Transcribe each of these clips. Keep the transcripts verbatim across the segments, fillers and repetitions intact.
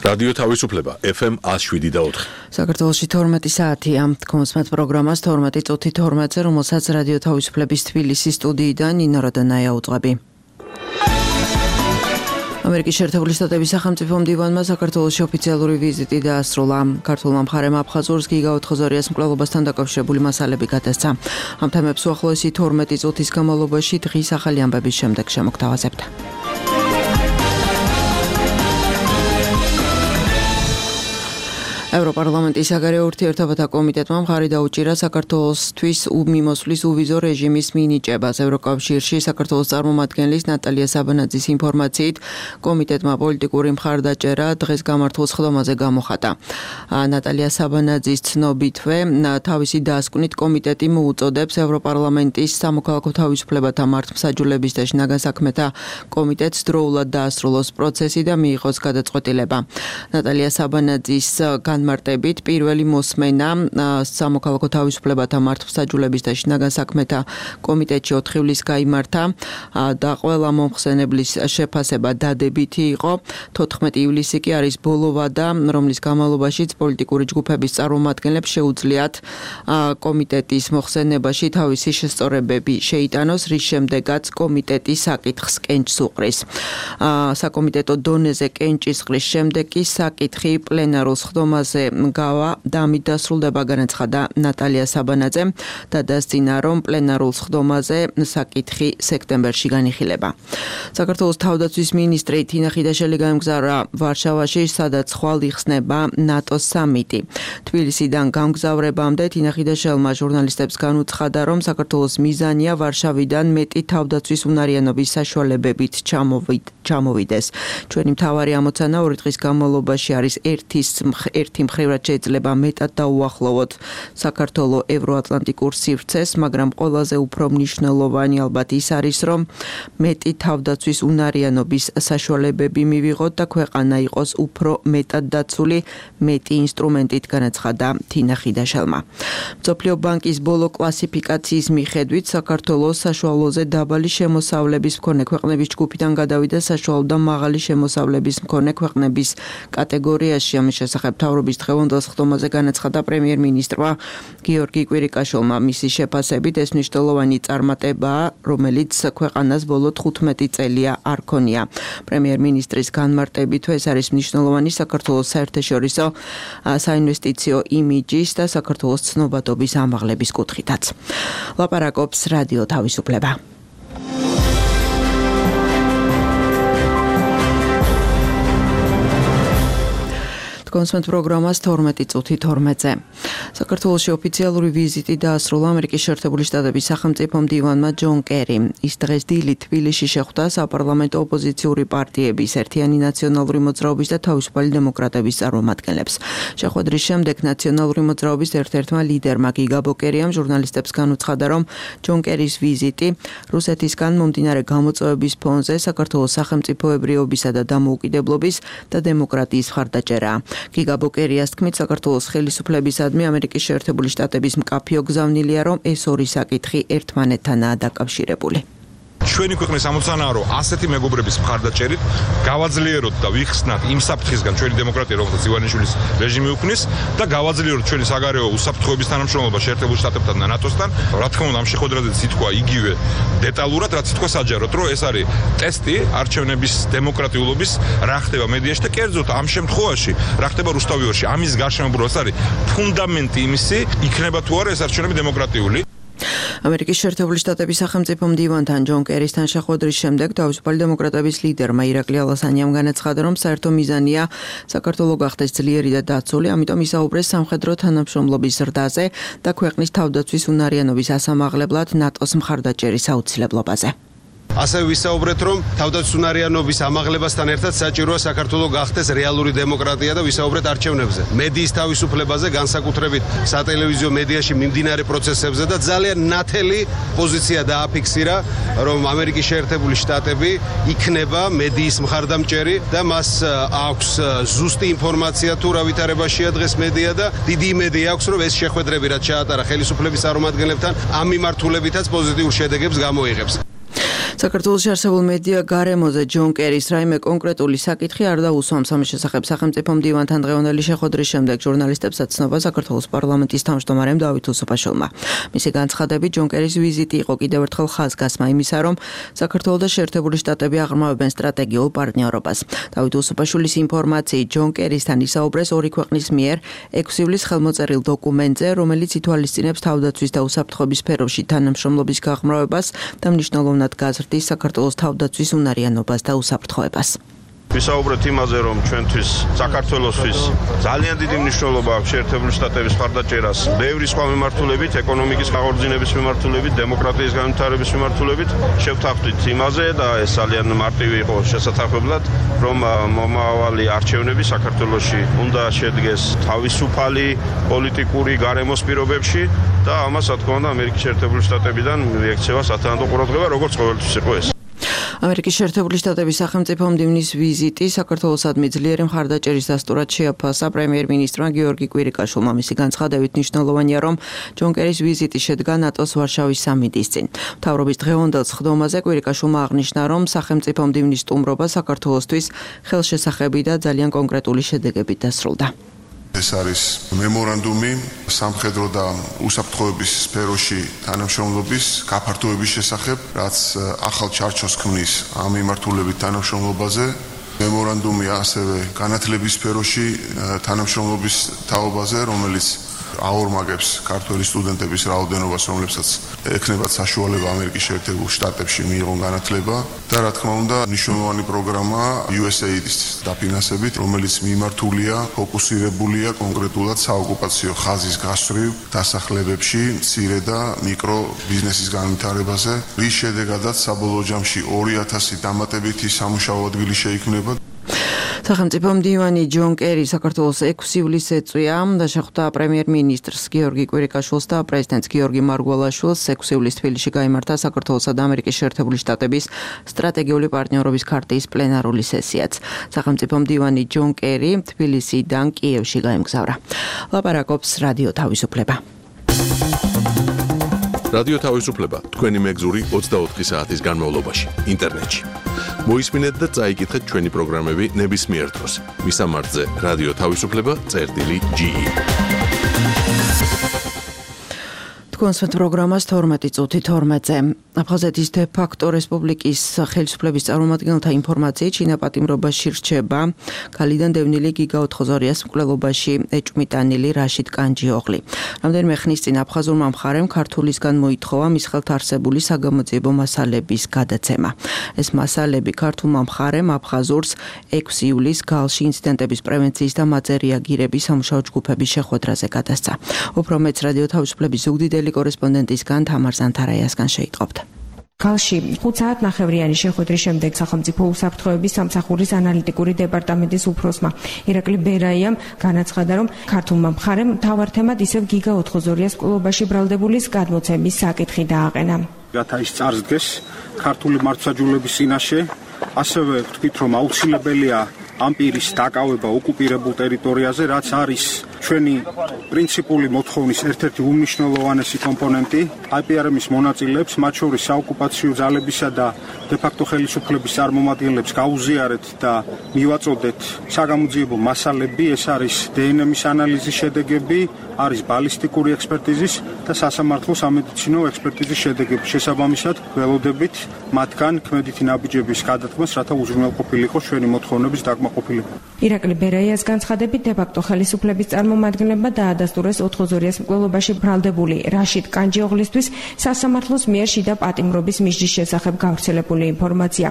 რადიო თავისუფლება ეფ ემ one oh seven და four. საქართველოში თორმეტი საათია. კონსმეთ პროგრამას თორმეტი წუთი თორმეტზე, რომელსაც რადიო თავისუფლების თბილისის სტუდიიდან ნინო როდანაია უძღვები. ამერიკის შეერთებული შტატების სახელმწიფო მდივანმა საქართველოში ოფიციალური ვიზიტი დაასრულა. ქართულმა მხარემ აფხაზურს გიგა ოთხზორიას მკვლელობასთან დაკავშირებული მასალები გადასცა. ამ თემებს უახლოესი თორმეტი წუთის განმავლობაში დღის ახალი ამბების შემდეგ შემოგთავაზებთ. ევროპარლამენტის საგარეო ურთიერთობათა კომიტეტმა მხარი დაუჭირა საქართველოსთვის მიმოსვლის უვიზო რეჟიმის მინიჭებას. ევროკავშირში საქართველოს წარმომადგენლის ნატალია საბანაძის ინფორმაციით, კომიტეტმა პოლიტიკური მხარდაჭერა დღეს გამართულ სხდომაზე გამოხატა. ნატალია საბანაძის ცნობითვე, თავისი დასკვნით კომიტეტი მოუწოდებს ევროპარლამენტის სამოქალაქო თავისუფლებათა მართლმსაჯულების და შინაგან საქმეთა კომიტეტს დროულად დაასრულოს პროცესი და მიიღოს გადაწყვეტილება. ნატალია საბანაძის განმარტებით პირველი მოსმენა სამოქალაქო თავისუფლებათა მართლმსაჯულების და შინაგან საქმეთა კომიტეტში ოთხ ივლისს გაიმართა და ყველა მომხსენებლის შეფასება დადებითი იყო. თოთხმეტი ივლისი კი არის ბოლო ვადა, რომლის განმავლობაშიც პოლიტიკური ჯგუფების წარმომადგენლებს შეუძლიათ კომიტეტის მოხსენებაში თავისი შესწორებები შეიტანოს, რის შემდეგაც კომიტეტი საკითხს კენჭს უყრის. საკომიტეტო დონეზე კენჭის ყრის შემდეგ კი საკითხი პლენარულ სხდომაზე გავა და ამით დასრულდება, განაცხადა ნატალია საბანაძემ და დასძინა, რომ პლენარულ სხდომაზე საკითხი სექტემბერში განიხილება. საქართველოს თავდაცვის მინისტრი თინა ხიდაშელი გაემგზავრა ვარშავაში, სადაც ხვალ იხსნება ნატოს სამიტი. თბილისიდან გამგზავრებამდე თინა ხიდაშელმა ჟურნალისტებს განუცხადა, რომ საქართველოს მიზანია ვარშავიდან მეტი თავდაცვის უნარიანობის საშუალებებით ჩამოვიდეს. ჩვენი მთავარი ამოცანა ორი დღის განმავლობაში არის ერთის ერთი მხრივად შეიძლება მეტად დაუახლოვოთ საქართველოს ევროატლანტიკურ სივრცეს, მაგრამ ყველაზე უფრო მნიშვნელოვანი ალბათ ის არის, რომ მეტი თავდაცვის უნარიანობის საშუალებები მივიღოთ და ქვეყანა იყოს უფრო მეტად დაცული მეტი ინსტრუმენტით, განაცხადა თინა ხიდაშელმა. მსოფლიო ბანკის ბოლო კლასიფიკაციის მიხედვით საქართველოს საშუალოზე დაბალი შემოსავლების მქონე ქვეყნების ჯგუფიდან გადავიდა საშუალო და მაღალი შემოსავლების მქონე ქვეყნების კატეგორიაში. ამის შესახებ მთავრობის დღევანდელ სხდომაზე განაცხადა პრემიერ-მინისტრმა გიორგი კვირიკაშვილმა. მისი შეფასებით ეს მნიშვნელოვანი წარმატებაა, რომელიც ქვეყანას ბოლო თხუთმეტი წელია არ ქონია. პრემიერ-მინისტრის განმარტებით ეს არის მნიშვნელოვანი საქართველოს საერთაშორისო საინვესტიციო იმიჯის და საქართველოს ცნობადობის ამაღლების კუთხითაც. ლაპარაკობს რადიო თავისუფლება. კონსმეთ პროგრამას თორმეტი წუთი თორმეტზე. საქართველოში ოფიციალური ვიზიტი დაასრულა ამერიკის შეერთებული შტატების სახელმწიფო მდივანმა ჯონ კერიმ. ის დღეს დილით თბილისში შეხვდა საპარლამენტო ოპოზიციური პარტიების, ერთიანი ნაციონალური მოძრაობის და თავისუფალი დემოკრატების წარმომადგენლებს. შეხვედრის შემდეგ ნაციონალური მოძრაობის ერთ-ერთმა ლიდერმა გიგა ბოკერიამ ჟურნალისტებს განუცხადა, რომ ჯონ კერის ვიზიტი რუსეთისგან მომდინარე გამოწვევების ფონზე საქართველოს სახელმწიფოებრიობისა და დამოუკიდებლობის და დემოკრატიის მხარდაჭერაა. გიგა ბოკერიას თქმით, საქართველოს ხელისუფლებისადმი ამერიკის შეერთებული შტატების მკაფიო გზავნილია, რომ ეს ორი საკითხი ერთმანეთთანაა დაკავშირებული. ჩვენი ქვეყნის ამოცანაა, რომ ასეთი მეგობრების მხარდაჭერით გავაძლიეროთ და ვიხსნათ იმ საფრთხისგან ჩვენი დემოკრატია, რომელსაც ივანიშვილის რეჟიმი უქმნის და გავაძლიეროთ ჩვენი საგარეო უსაფრთხოების თანამშრომლობა შეერთებულ შტატებთან და ნატოსთან. რა თქმა უნდა, ამ შეხვედრაზე ითქვა იგივე დეტალურად, რაც ითქვა საჯაროდ, რომ ეს არის ტესტი არჩევნების დემოკრატიულობის, რა ხდება მედიაში და კერძოდ ამ შემთხვევაში, რა ხდება რუსთავიორში. ამის გარშემობრუნებას არის ფუნდამენტი იმისი, იქნება თუ არა ეს არჩევნები დემოკრატიული. ამერიკის შეერთებული შტატების სახელმწიფო მდივანთან ჯონ კერისთან შეხვედრის შემდეგ თავისუფალი დემოკრატების ლიდერმა ირაკლი ალასანიამ განაცხადა, რომ საერთო მიზანია საქართველოს გახდეს ძლიერი და დაცული, ამიტომ ისაუბრეს სამხედრო თანამშრომლობის ზრდაზე და ქვეყნის თავდაცვის უნარიანობის ასამაღლებლად ნატოს მხარდაჭერის აუცილებლობაზე. ასევე ვისაუბრეთ, რომ თავდაცვის უნარიანობის ამაღლებასთან ერთად საჭიროა საქართველოს გახდეს რეალური დემოკრატია და ვისაუბრეთ არჩევნებზე, მედიის თავისუფლებაზე, განსაკუთრებით სატელევიზიო მედიაში მიმდინარე პროცესებზე და ძალიან ნათელი პოზიცია დააფიქსირა, რომ ამერიკის შეერთებული შტატები იქნება მედიის მხარდამჭერი და მას აქვს ზუსტი ინფორმაცია თუ რა ვითარებაშია დღეს მედია და დიდი იმედი აქვს, რომ ეს შეხვედრები რაც ჩაატარა ხელისუფლების წარმომადგენლებთან ამ მიმართულებითაც პოზიტიურ შედეგებს გამოიღებს. საქართველოში არსებულ მედია გარემოზე ჯონ კერის რაიმე კონკრეტული საკითხი არ დაუსვამს. ამის შესახებ სახელმწიფო მდივანთან დღევანდელი შეხვედრის შემდეგ ჟურნალისტებსაც ცნობა საქართველოს პარლამენტის თავმჯდომარემ დავით უსუფაშვილმა. მისი განცხადებით ჯონ კერის ვიზიტი იყო კიდევ ერთხელ ხაზგასმა იმისა, რომ საქართველო და შეერთებული შტატები აღრმავებენ სტრატეგიულ პარტნიორობას. დავით უსუფაშვილის ინფორმაციით ჯონ კერისთან ისაუბრეს ორი ქვეყნის მიერ ექვსი ივლისს ხელმოწერილ დოკუმენტზე, რომელიც ითვალისწინებს თავდაცვის და უსაფრთხოების სფეროში თანამშრომლობის გაღრმავებას და მნიშვნელოვნად გაზრდის საქართველოს თავდაცვის უნარიანობას და უსაფრთხოებას. ვისაუბრეთ იმაზე, რომ ჩვენთვის საქართველოსთვის ძალიან დიდი მნიშვნელობა აქვს შეერთებული შტატების მხარდაჭერას ბევრი სხვა მიმართულებით, ეკონომიკის აღორძინების მიმართულებით, დემოკრატიის განვითარების მიმართულებით. შევთანხმდით იმაზე და ეს ძალიან მარტივი იყო შესაძლებლად, რომ მომავალი არჩევნები საქართველოში უნდა შედგეს თავისუფალი პოლიტიკური გარემოს პირობებში და ამას, რა თქმა უნდა, ამერიკის შეერთებული შტატებიდან მიექცევა სათანადო ყურადღება, როგორც ყოველთვის იყო ეს. ამერიკის შეერთებული შტატების სახელმწიფო მდივნის ვიზიტი საქართველოსადმი ძლიერი მხარდაჭერის დასტურად შეაფასა პრემიერ-მინისტრმა გიორგი კვირიკაშვილმა. მისი განცხადებით მნიშვნელოვანია, რომ ჯონ კერის ვიზიტი შედგა ნატოს ვარშავის სამიტის წინ. მთავრობის დღევანდელ სხდომაზე კვირიკაშვილმა აღნიშნა, რომ სახელმწიფო მდივნის სტუმრობა საქართველოსთვის ხელშესახები და ძალიან კონკრეტული შედეგებით დასრულდა. ეს არის მემორანდუმი სამხედრო და უსაფრთხოების სფეროში თანამშრომლობის გაფართოების შესახებ, რაც ახალ ჩარჩოს ქმნის ამ მიმართულებით თანამშრომლობაზე. მემორანდუმი ასევე განათლების სფეროში თანამშრომლობის თაობაზე, რომელიც აორმაგებს ქართველი სტუდენტების რაოდენობას, რომლებსაც ექნებათ საშუალება ამერიკის შეერთებულ შტატებში მიიღონ განათლება და რა თქმა უნდა მნიშვნელოვანი პროგრამა იუ ეს ეი დის დაფინანსებით, რომელიც მიმართულია, ფოკუსირებულია კონკრეტულად საოკუპაციო ხაზის გასწვრივ დასახლებებში მცირე და მიკრო ბიზნესის განვითარებაზე, რის შედეგადაც საბოლოო ჯამში ორი ათასი დამატებითი სამუშაო ადგილი შეიქმნება. სახელმწიფო მდივანი ჯონ კერი საქართველოს ექვსი ივლისს ეწვია და შეხვდა პრემიერ-მინისტრს გიორგი კვირიკაშვილს და პრეზიდენტს გიორგი მარგველაშვილს. ექვსი ივლისს თბილისში გაიმართა საქართველოსა და ამერიკის შეერთებული შტატების სტრატეგიული პარტნიორობის ქარტიის პლენარული სესიაც. სახელმწიფო მდივანი ჯონ კერი თბილისიდან კიევში გაემგზავრა. ლაპარაკობს რადიო თავისუფლება. რადიო თავისუფლება თქვენი მეგზური ოცდაოთხი საათის განმავლობაში ინტერნეტში. მოისმინეთ და წაიკითხეთ ჩვენი პროგრამები ნებისმიერ დროს. მისამართზე რადიო თავისუფლება წერტილი ჯი ი. კონსვეთ პროგრამას თორმეტი წუთი თორმეტზე. აფხაზეთის დე-ფაქტო რესპუბლიკის ხელისუფლების წარმომადგენელთა ინფორმაციით ჩინა პატიმრობაში რჩება ქალიდან დევნილი გიგა ოთხოზორიას მკვლელობაში ეჭვმიტანილი რაშიდ კანჯიოღლი. რამდენიმე ხნის წინ აფხაზურმა მხარემ ქართულისგან მოითხოვა მის ხელთ არსებული საგამოძიებო მასალების გადაცემა. ეს მასალები ქართულმა მხარემ აფხაზურს ექვსი ივლისს გალში ინციდენტების პრევენციის და მათზე რეაგირების სამუშაო ჯგუფების შეხვედრაზე გადასცა. უფრო მეც რადიო თავისუფლების ზუგდიდელი კორესპონდენტისგან თამარ ზანთარაიასგან შეიტყობთ. გალში ხუთ საათ ნახევრიანი შეხვედრის შემდეგ სახელმწიფო უსაფრთხოების სამსახურის ანალიტიკური დეპარტამენტის უფროსმა ირაკლი ბერაიამ განაცხადა, რომ ქართულმა მხარემ მთავარ თემად ისევ გიგა ოთხოზორიას მკვლელობაში ბრალდებულის გადმოცემის საკითხი დააყენა. რათა ის წარსდგეს ქართული მართლმსაჯულების წინაშე, ასევე ვთქვით, რომ აუცილებელია ამ პირის დაკავება ოკუპირებულ ტერიტორიაზე, რაც არის ჩვენი პრინციპული მოთხოვნის ერთ-ერთი უმნიშვნელოვანესი კომპონენტი. აი პი არ ემის მონაწილეებს, მათ შორის საოკუპაციო ძალებისა და დე-ფაქტო ხელისუფლების წარმომადგენლებს გაუზიარეთ და მივაწოდეთ საგამოძიებო მასალები. ეს არის დე εν ემის ანალიზის შედეგები, არის ბალისტიკური ექსპერტიზის და სასამართლო სამედიცინო ექსპერტიზის შედეგები. შესაბამისად, ველოდებით მათგან ქმედითი ნაბიჯების გადადგმას, რათა უზრუნველყოფილიყო ჩვენი მოთხოვნების დაკმაყოფილება. ირაკლი ბერაიას განცხადებით, დე-ფაქტო ხელისუფლების წარმომადგენლებმა დაადასტურეს ოთხოზორიას მკვლელობაში ბრალდებული რაშიდ კანჯიოღლისთვის სასამართლოს მიერ შიდა პატიმრობის მიზნის შესახებ გავრცელებული ინფორმაცია.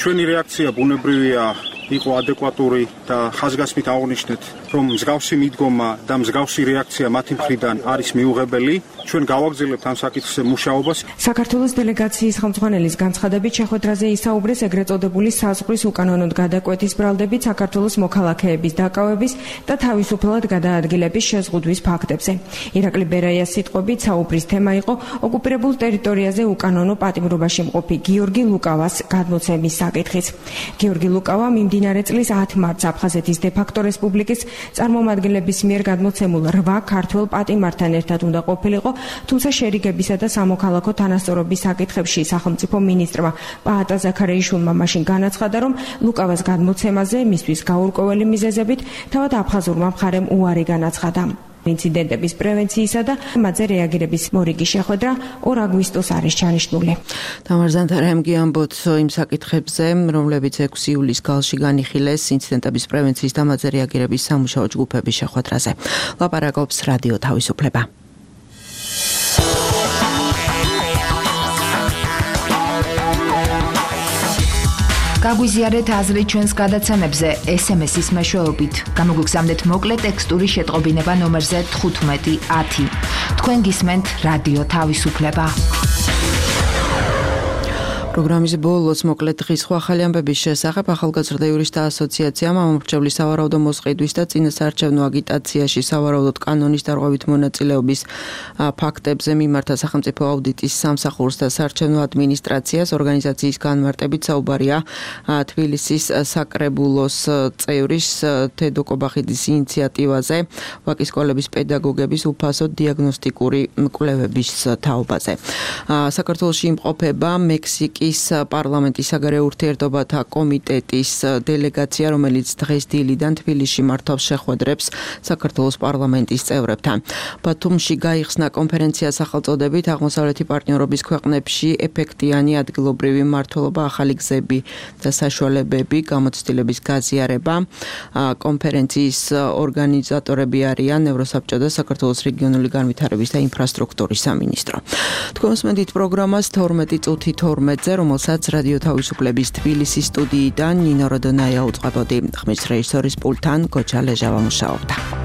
ჩვენი რეაქცია ბუნებრივია იყო ადეკვატური და ხაზგასმით აღნიშნეთ, რომ მსგავსი მიდგომა და მსგავსი რეაქცია მათი მხრიდან არის მიუღებელი. ჩვენ გავაგრძელებთ ამ საკითხზე მუშაობას. საქართველოს დელეგაციის ხელმძღვანელის განცხადებით შეხვედრაზე ისაუბრეს ეგრეთ წოდებული საზღვრის უკანონოდ გადაკვეთის ბრალდებით საქართველოს მოქალაქეების დაკავების და თავისუფლად გადაადგილების შეზღუდვის ფაქტებზე. ირაკლი ბერაიას სიტყვებით საუბრის თემა იყო ოკუპირებულ ტერიტორიაზე უკანონო პატიმრობაში მყოფი გიორგი ლუკავას გადმოცემის საკითხიც. გიორგი ლუკავა მიმდინარე წლის ათი მარტს აფხაზეთის დე-ფაქტო რესპუბლიკის წარმომადგენლების მიერ გადმოცემულ რვა ქართველ პატიმართან ერთად უნდა ყოფილიყო, თუმცა შერიგებისა და სამოქალაქო თანასწორობის საკითხებში სახელმწიფო მინისტრმა პაატა ზაქარეიშვილმა მაშინ განაცხადა, რომ ლუკავას გადმოცემაზე მისთვის გაურკვეველი მიზეზებით თავად აფხაზურმა მხარემ უარი განაცხადა. ინციდენტების პრევენციისა და მათზე რეაგირების მორიგი შეხვედრა ორ აგვისტოს არის ჩანიშნული. თამარ ზანთარამ გიამბოთ იმ საკითხებზე, რომლებიც ექვსი ივლისს გალში განიხილეს ინციდენტების პრევენციის და მათზე რეაგირების სამუშაო ჯგუფების შეხვედრაზე. ლაპარაკობს რადიო თავისუფლება. გაგვიზიარეთ აზრი ჩვენს გადაცემებზე ეს ემ ეს-ის მეშვეობით. გამოგვიგზავნეთ მოკლე ტექსტური შეტყობინება ნომერზე თხუთმეტი ათი. თქვენ გისმენთ რადიო თავისუფლება. პროგრამის ბოლოს მოკლედ დღის სხვა ახალი ამბების შესახებ ახალგაზრდა იურისტთა ასოციაციამ ამომრჩევლის სავარაუდო მოსყიდვის და წინასაარჩევნო აგიტაციაში სავარაუდოდ კანონის დარღვევით მონაწილეობის ფაქტებზე მიმართა სახელმწიფო აუდიტის სამსახურს და საარჩევნო ადმინისტრაციას. ორგანიზაციის განმარტებით საუბარია თბილისის საკრებულოს წევრის თედო კობახიძის ინიციატივაზე ვაკის სკოლების პედაგოგების უფასო დიაგნოსტიკური კვლევების თაობაზე. საქართველოში იმყოფება მექსიკის პარლამენტის საგარეო ურთიერთობათა კომიტეტის დელეგაცია, რომელიც დღეს დილიდან თბილისში მართავს შეხვედრებს საქართველოს პარლამენტის წევრებთან. ბათუმში გაიხსნა კონფერენცია სახელწოდებით აღმოსავლეთი პარტნიორობის ქვეყნებში ეფექტიანი ადგილობრივი მმართველობა, ახალი გზები და საშუალებები, გამოცდილების გაზიარება. კონფერენციის ორგანიზატორები არიან ევროსაბჭო და საქართველოს რეგიონული განვითარების და ინფრასტრუქტურის სამინისტრო. თქვენ მოსმენთ პროგრამას თორმეტი წუთი თორმეტზე, რომელსაც რადიო თავისუფლების თბილისის სტუდიიდან ნინო როდონაია უწყებოდი. ხმის რეჟისორის პულტთან გოჩა ლეჟავა მუშაობდა.